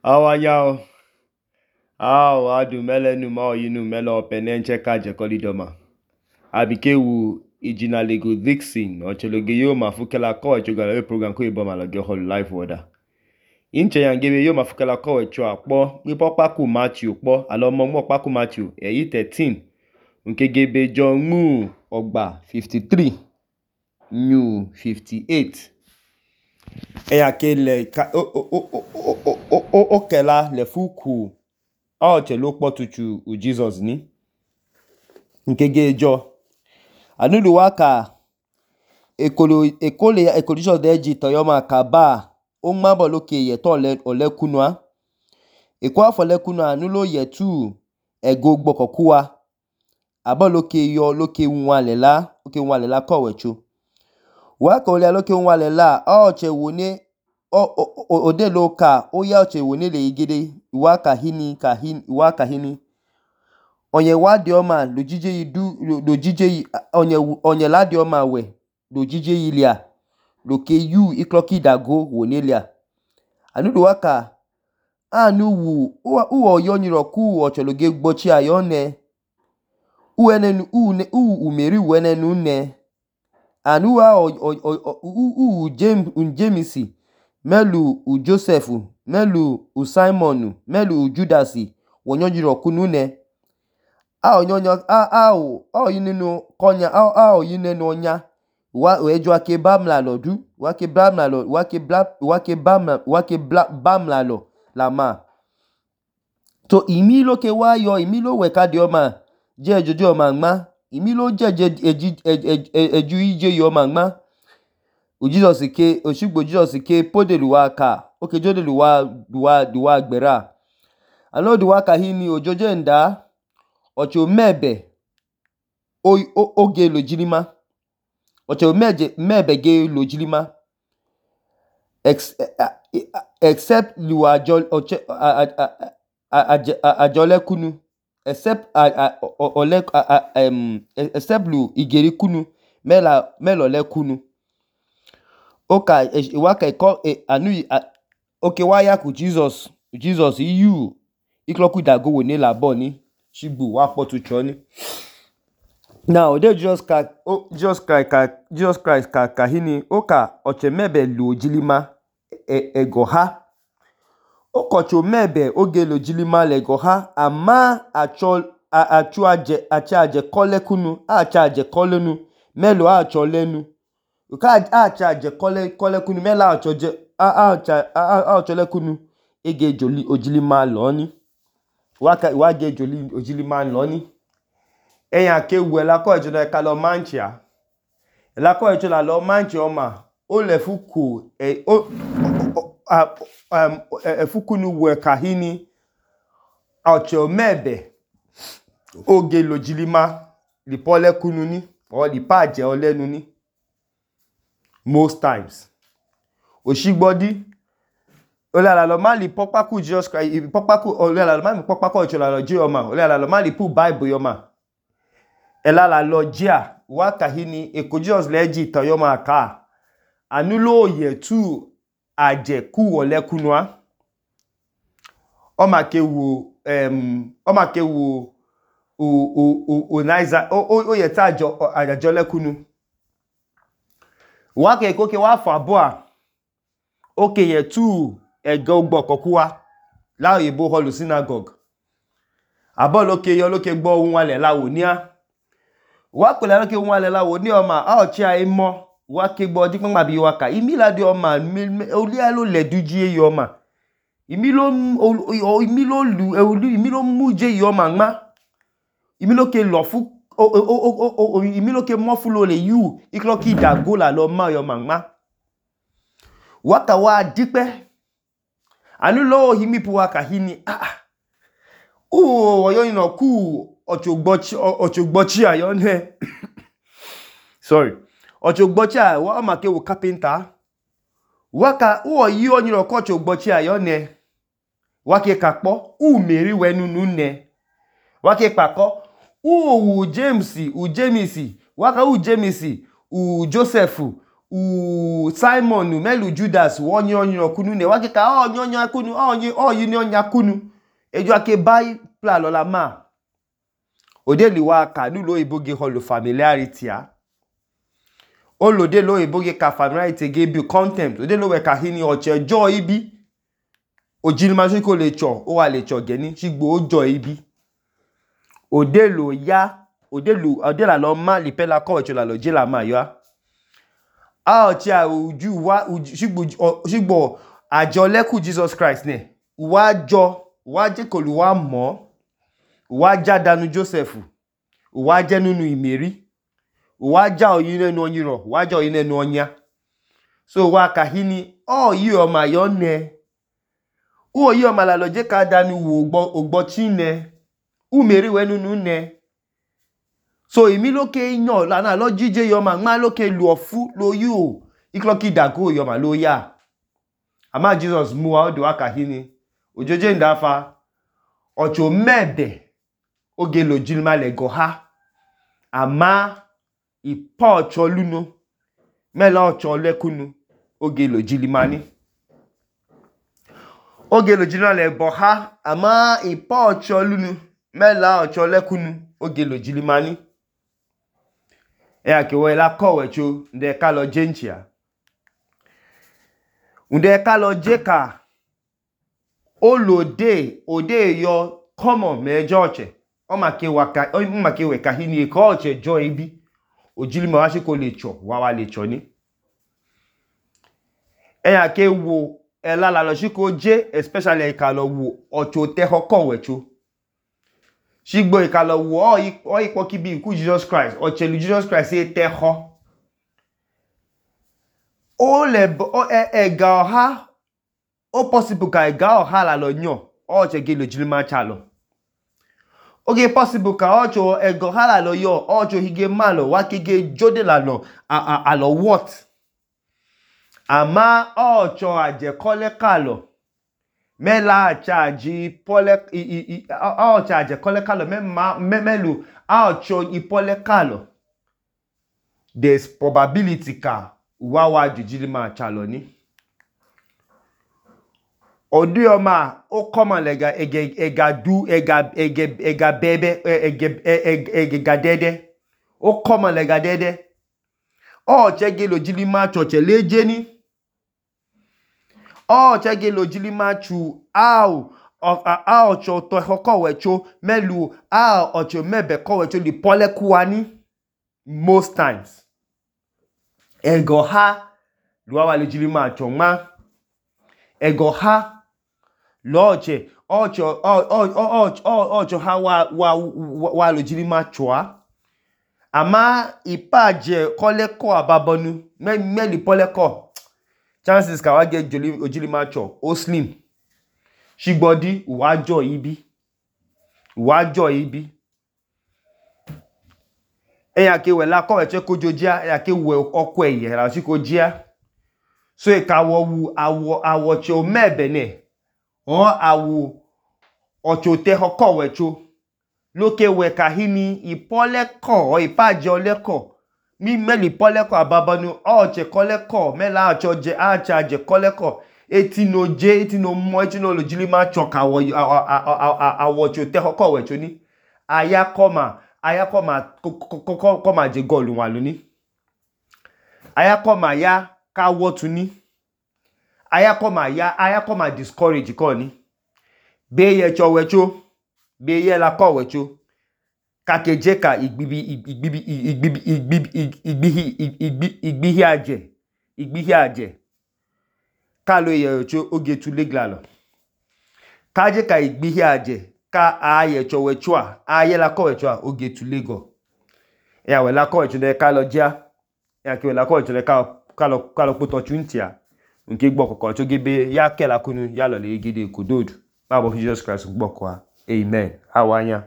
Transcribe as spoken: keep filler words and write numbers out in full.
Awanyao, aw adu melenu ma oyinu mele opene ncheka jekolidoma. Abike wu ijina lego Dixon ochologe yo mafukela ko echogala we program ko iboma loge holu live order. Inche yangebe yo mafukela ko echo akpo mi popaku Matthew kpo alomo mo paku Matthew eyi thirteen nkegebe John mu ogba fifty-three new fifty-eight. Eya kele ka o o o o o o okela le fuku o chelo kpotuchu u Jesus ni nkege jo anudu waka ekolo ekole ekolijo deji toyoma kaba o mabo loke ye to le olekunwa ekwa fo lekunwa anulo ye tu ego gbokokuwa abo loke yo loke nwa lela loke nwa lela ko wecho waka ole loke nwa lela o che woni o ode loka o ya che woni le igide waka hini ka hin waka hini onye wadi oma lojije yidu lojije onye onye ladi oma we lojije yilia loke yu ikloki dago wonelia anudu waka anu wu u oyo nyiro ku ochologe gbochi ayone u enenu u ne u umeri wenenu ne anu wa u u James un Jamesi melu u Joseph melu u Simon melu u Judasi wonyojiro kunu ne a onyonyo a a o o yininu konya a a o yinenu onya wa ejo ake bamla lodu wa ke bamla lo wa ke bla wa ke bamla wa ke bla bamla lo la ma to imi lo ke wa yo imi lo we ka di oma je ejoju oma nma imi lo je je eju ije yo oma nma u Jesus ke oshigbo Jesus ke podelu waka o ke jodelu wa duwa duwa gbera alo duwa ka hini ojoje nda ocho mebe o oge lojilima ocho meje mebe ge lojilima except lu ajo ajole kunu except ole except lu igeri kunu mela melo le kunu oka waka iko anu oke waya ku Jesus Jesus you ikloku dago woni labo ni shigbu wa potu choni now they just ka oh, just ka ka Jesus Christ ka kahini oka oche mebe lu ojilima e, egoha okocho mebe oge lu ojilima legoha ama acho achu aje acha aje kole kunu acha aje kolenu melo acho lenu uka acha aje kole kole kunu melo acho je acha acho le kunu ege joli ojilima loni waka wage joli ojilima loni eyan ke wu ela ko ejo na ka lo manchia ela ko ejo la lo manchia oma o le fuku e o um e fuku nu we kahini ocho mebe oge lojilima li pole kunu ni o li paje olenu ni most times oshigbodi ole ala lo ma li popaku Jesus Christ popaku ole ala lo ma mi popaku ocho la lo je oma ole ala lo ma li pu Bible yoma ela la lo jia wa kahini eko Jesus leji to yoma ka anulo ye tu aje ku ole kunwa o ma ke wo em o ma ke wo o o o o naiza o o ye ta ajo ajo le kunu wa ke ko ke wa fa bo a o ke ye tu ego gbokokuwa la oyibo holu synagogue abo loke yo loke gbo ohun ale lawo ni a wa ko la loke ohun ale lawo ni o ma a o chi ai mo wa ke gbo di pon bi wa ka imi la di o ma oli a lo le duji yo ma imi lo imi lo lu imi lo muje yo ma nma imi lo ke lo fu o o o imi lo ke mo fu lo le yu iklo ki dago la lo ma yo ma nma wa ka wa dipe anu lo himi pu wa ka hini ah o oyo ina ku ochogbochi ochogbochi ayo ne sorry ochogbochi a wa ma ke wo carpenter wa ka o yi oniro ko ochogbochi ayo ne wa ke kapo u meri wenu nu ne wa ke pako u u James u Jamesi wa ka u Jamesi u Joseph u Simon melu Judas wonye onye kunu ne wake ka onye onye kunu onye oyi ni onye kunu eju ake bai pla lola ma odeli wa ka nulo iboge holo familiarity a olode lo iboge ka familiarity ge bi contempt odelo we ka hini oche joy ibi ojilima se ko le cho o wa le cho geni sigbo ojo ibi odelo ya odelu odela lo ma lipela ko echo la lo je la ma yo a oche a uju wa sigbo sigbo ajo leku Jesus Christ ne wa jo wa je ko lu wa mo wa ja danu Joseph wa je nunu imeri wa ja oyin nenu onyiro wa ja oyin nenu onya so wa ka hini o yi o ma yo ne u yi o ma la lo je ka danu wo ogbo ogbo chine u meri we nunu ne so imi loke yan la na lo jije yo ma nma loke lu ofu lo yi o ikloki dago yo ma lo ya ama Jesus mu wa do aka hini ojoje ndafa ocho mebe oge lo jilma le go ha ama ipa ocho luno mela ocho lekunu oge lo jilimani oge lo jilma le bo ha ama ipa ocho lunu mela ocho lekunu oge lo jilimani e ake we la ko wecho nde ka lo jenchia nde ka lo jeka olode ode yo common me joche o ma ke waka o ma ke we ka hini ko oche jo ibi ojilima wa se ko le cho wa wa le cho ni e ake wo e la la lo si ko je especially e ka lo wo ocho te ho ko wecho sigbo e ka lo wo o ipo ki bi ku Jesus Christ oche lu Jesus Christ e te ho o le o e, e ga ha o possible ka e ga ha la lo yan o che ge lo jilima cha lo oge possible ka ocho e go ha la lo yo ocho hige malo wa kege jode la lo a a, a lo what ama ocho aje kole kalo mela charge pole i i ocho aje kole kalo me memelu ocho ipole kalo there's probability ka wa wa jujilima cha lo ni odi oma o common lega ege ega du ega ege ega bebe ege ege gadede o common lega dede o chege lo jilima choche leje ni o chege lo jilima chu au a ocho to hoko wecho melu a ocho mebe ko wecho li pole kuani most times ego ha luwa wa lo jilima choma ego ha loche ocho ocho ocho ha wa wa wa lo jilima chwa ama ipaje kole ko ababonu me meli pole ko chances ka wa ge joli ojilima cho o slim shigbodi wa jo ibi wa jo ibi e ya ke we la ko eche ko jojia e ya ke we oko eye la si ko jia so e ka wo wu awo awo che o mebe ne o awu ocho te hoko wecho loke we ka hini ipole ko o ipaje ole ko mi meli pole ko ababonu o che kole ko mela acho je acha je kole ko eti no je eti no mo eti no lo jilima choka wo awo cho te hoko wecho ni aya koma aya koma koma je golu wa loni aya koma ya ka wo tuni aya koma ya aya koma discourage ko ni be ye cho wecho be ye la ko wecho ka keje ka igbibi igbibi igbibi igbibi igbibi igbihi aje igbihi aje ka lo ye wecho oge tu leglalo ka je ka igbihi aje ka aye cho wecho a aye la ko wecho a oge tu lego ya we la ko wecho de ka lo ja ya ke we la ko wecho de ka ka lo ka lo poto chuntia nke gbo kokko to gebe ya kela kunu ya lo le gide kododu babo Jesus Christ gbo kwa amen awanya